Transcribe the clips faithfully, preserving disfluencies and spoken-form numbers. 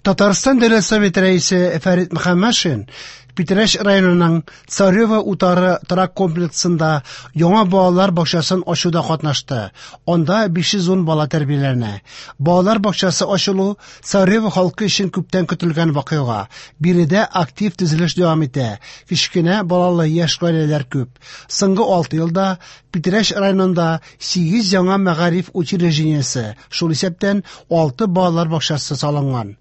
Татарстан Дәүләт Советы Рәисе Фәрит Мөхәммәтшин Питрәч районының Царево утары торак комплексында яңа балалар бакчасын ачуда катнашты. Анда биш йөз ун бала тәрбияләнә. Балалар бакчасы ачылу Царево халкы өчен күптән көтелгән вакыйга. Биредә актив төзелеш дәвам итә. Кечкенә балалы яшь гаиләләр күп. Соңгы алты елда Питрәч районында сигез яңа мәгариф учреждениесе, шул исәптән алты балалар бакчасы салынган.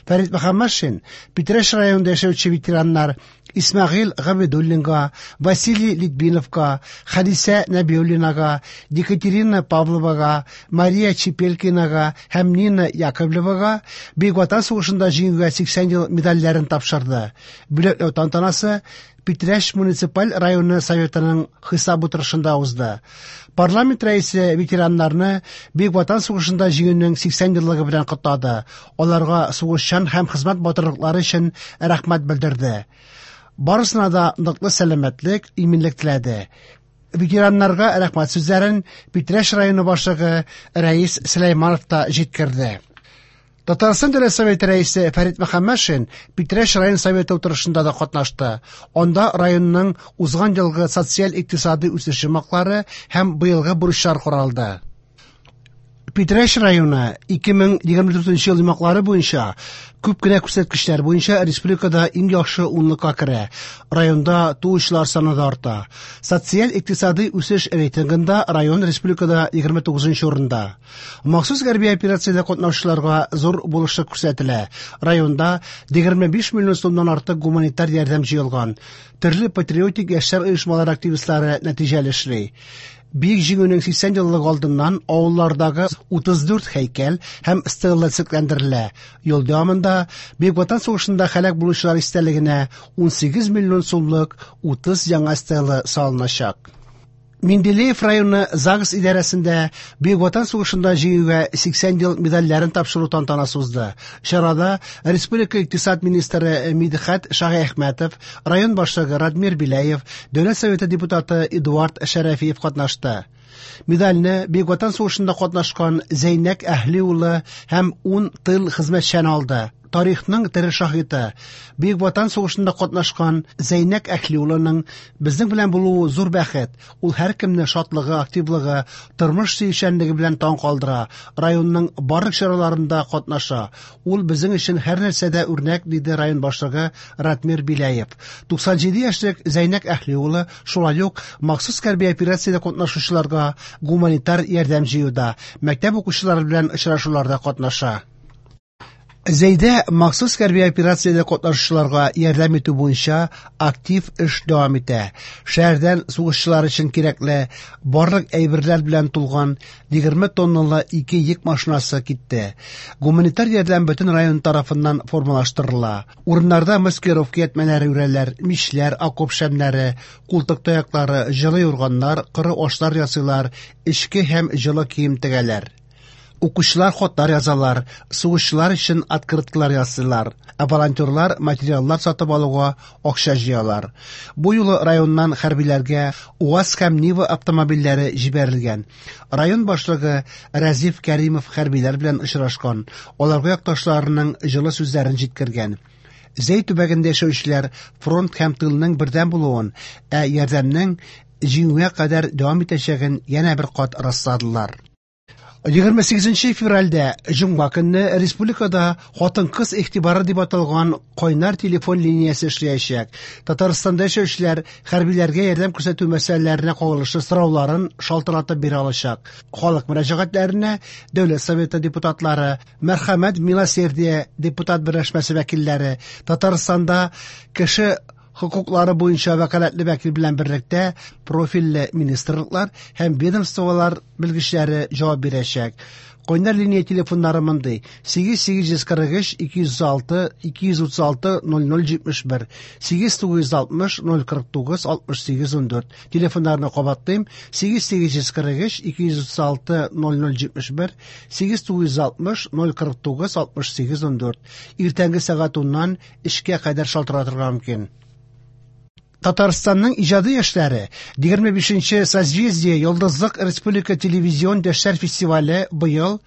Фәрит Мөхәммәтшин Питрәч районында яшәүче ветераннар Исмәгыйль Габидуллинга, Василий Литвиновка, Хәдисә Нәбиуллинага, Екатерина Павловага, Мария Чепелькинага һәм Нина Яковлевага Бөек Ватан сугышында җиңүгә сиксән ел медальләрен тапшырды. Бүләкләү тантанасы Питрәч муниципаль районы советының хисап утырышында узды. Парламент рәисе ветераннарны Бөек Ватан сугышында җиңүнең сиксән еллыгы белән котлады. Аларга сугышчан һәм хезмәт батырлыклары өчен рәхмәт белдерде. Барысына да ныклы сәламәтлек, иминлек теләде. Ветераннарга рәхмәт сүзләрен Питрәч районы башлыгы Рәис Сөләйманов та җиткерде. Татарстан Дәүләт Советы рәисе Фәрит Мөхәммәтшин Питрәч район советы утырышында да катнашты. Анда районның узган елгы социаль-икътисади үсеш йомгаклары һәм быелгы бурычлар каралды. Питрәч районы ике мең егерме дүртенче ел йомгаклары буенча күп кенә күрсәткечләр буенча республикада иң яхшы унлыкка керә. Районда туучылар саны да арта. Социаль-икътисади үсеш рейтингында район республикада егерме тугызынчы урында. Махсус хәрби операциядә катнашучыларга зур булышлык күрсәтелә. Районда егерме биш миллион сумнан артык гуманитар ярдәм җыелган. Төрле патриотик яшьләр оешмалары активистлары нәтиҗәле эшли. Бөек Җиңүнең сиксән еллыгы алдыннан авыллардагы утыз дүрт һәйкәл һәм стела төзекләндерелә. Ел дәвамында Бөек Ватан сугышында һәлак булучылар истәлегенә ун сигез миллион сумлык утыз яңа стела салыначак. Менделеев районы ЗАГС идарәсендә Бөек Ватан сугышында җиңүгә сиксән ел медальләрен тапшыру тантанасы узды. Чарада Республика икътисад министры Мидхәт Шаһиәхмәтов, район башлыгы Радмир Беляев, Дәүләт Советы депутаты Эдуард Шәрәфиев катнашты. Медальне Бөек Ватан сугышында катнашкан Зәйнәк Әһли улы һәм ун тыл хезмәтчәне алды. Тарихның тере шаһиты Бөек Ватан сугышында катнашкан Зәйнәк Әһли улының безнең белән булуы зур бәхет. Ул һәркемне шатлыгы, активлыгы, тормыш сөючәнлеге белән таң калдыра. Районның барлык чараларында катнаша. Ул безнең өчен һәр нәрсәдә үрнәк, диде район башлыгы Радмир Беляев. Туксан җиде яшьлек Зәйнәк Әһли улы шулай ук махсус хәрби операциядә катнашучыларга гуманитар ярдәм җыюда, мәктәп укучылары белән очрашуларда катнаша. Зәйдә махсус хәрби операциядә катнашучыларга ярдәм итү буенча актив эш дәвам итә. Шәһәрдән сугышчылар өчен кирәкле барлык әйберләр белән тулган егерме тонналы ике йөк машинасы китте. Гуманитар ярдәм бөтен район тарафыннан формалаштырыла. Урыннарда маскировка ятмәләре үрәләр, мичләр, окоп шәмнәре, култык таяклары, җылы юрганнар, коры ашлар ясыйлар, эчке һәм җылы кием тегәләр. Укучылар хатлар язалар, сугышчылар өчен открыткалар ясыйлар, ә волонтерлар материаллар сатып алуга акча җыялар. Бу юлы районнан хәрбиләргә УАЗ һәм Нива автомобильләре җибәрелгән. Район башлыгы Разиф Кәримов хәрбиләр белән очрашкан, аларга якташларының җылы сүзләрен җиткергән. Зәй төбәгендә яшәүчеләр фронт һәм тылның бердәм булуын, ә ярдәмнең җиңүгә кадәр дәвам итәчәген янә бер кат расладылар. Егерме сигезенче февральдә җомга көнне республикада хатын-кыз игътибары дип аталган кайнар телефон линиясе эшләячәк. Татарстанда яшәүчеләр хәрбиләргә ярдәм күрсәтү мәсьәләләренә кагылышлы сорауларын шалтыратып бирә алачак. Халык мөрәҗәгатьләренә Дәүләт Советы депутатлары, Мәрхәмәт Милосердие депутат берләшмәсе вәкилләре, Татарстанда кеше хокуклары буенча вәкаләтле вәкил белән берлектә профильле министрлыклар һәм ведомстволар белгечләре җавап бирәчәк. Кайнар линия телефоннары мондый: сигез сигез йөз кырык өч, ике йөз алты, ике йөз утыз алты, ноль ноль җитмеш бер, сигез тугыз йөз алтмыш, ноль кырык тугыз, алтмыш сигез ун дүрт. Телефоннарны кабатлыйм: сигез сигез йөз кырык өч, ике йөз утыз алты, ноль ноль җитмеш бер, сигез тугыз йөз алтмыш, ноль кырык тугыз, алтмыш сигез ун дүрт. Иртәнге сәгать уннан эшкә кадәр шалтыратырга мөмкин. Татарстанның иҗади яшьләре егерме бишенче Созвездие Йолдызлык Республика телевизион яшьләр фестивале быел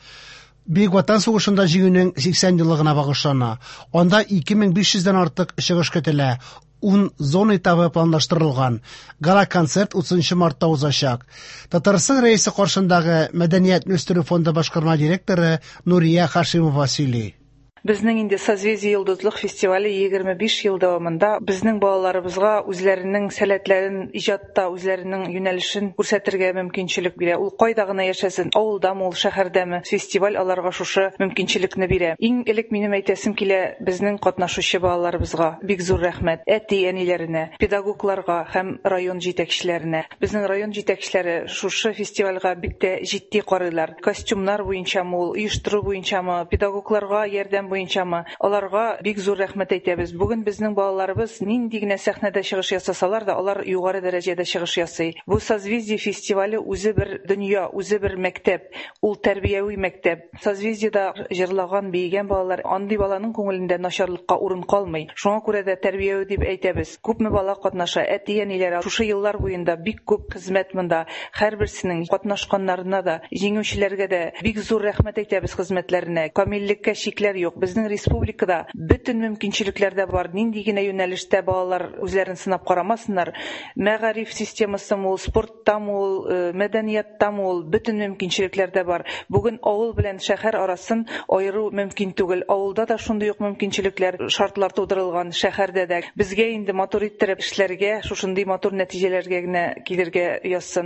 Бөек Ватан сугышында җиңүнең сиксән еллыгына багышлана. Анда ике мең биш йөздән артык чыгыш көтелә. Ун зона этабы планлаштырылган. Гала-концерт утызынчы мартта узачак. Татарстан Рәисе каршындагы Мәдәниятне үстерү фонды башкарма директоры Нурия Хашимова сөйли. Безнең инде Созвездие Йолдызлык фестивале егерме биш ел дәвамында безнең балаларыбызга үзләренең сәләтләрен иҗатта, үзләренең юнәлешен күрсәтергә мөмкинчелек бирә. Ул кайда гына яшәсен, авылдамы ул, шәһәрдәме, фестиваль аларга шушы мөмкинчелекне бирә. Иң элек минем әйтәсем килә безнең катнашучы балаларыбызга бик зур рәхмәт, әти-әниләренә, педагогларга һәм район җитәкчеләренә. Безнең район җитәкчеләре шушы фестивальгә бик тә җитди карыйлар. Костюмнар буенчамы ул, оештыру буенчамы, педагогларга ярдәм буенчамы, аларга бик зур рәхмәт әйтәбез. Бүген безнең балаларыбыз нинди генә сәхнәдә чыгыш ясасалар да, алар югары дәрәҗәдә чыгыш ясый. Бу Созвездие фестивале үзе бер дөнья, үзе бер мәктәп, ул тәрбияви мәктәп. Созвездиедә җырлаган, биегән балалар, андый баланың күңелендә начарлыкка урын калмый. Шуңа күрә дә тәрбияви дип әйтәбез. Күпме бала катнаша, әти-әниләр шушы еллар буенда бик күп хезмәт монда. Һәрберсенең катнашканнарына да, җиңүчеләргә дә бик зур рәхмәт әйтәбез хезмәтләренә. Камиллеккә чикләр юк. Безнең республикада бөтен мөмкинчелекләр дә бар. Нинди генә юнәлештә балалар үзләрен сынап карамасыннар, мәгариф системасымы ул, спорттамы ул, э, мәдәнияттамы ул, бөтен мөмкинчелекләр дә бар. Бүген авыл белән шәһәр арасын аеру мөмкин түгел. Авылда да шундый ук мөмкинчелекләр, шартлар тудырылган, шәһәрдә дә. Безгә инде матур иттереп эшләргә, шушындый матур нәтиҗәләргә генә килергә язсын.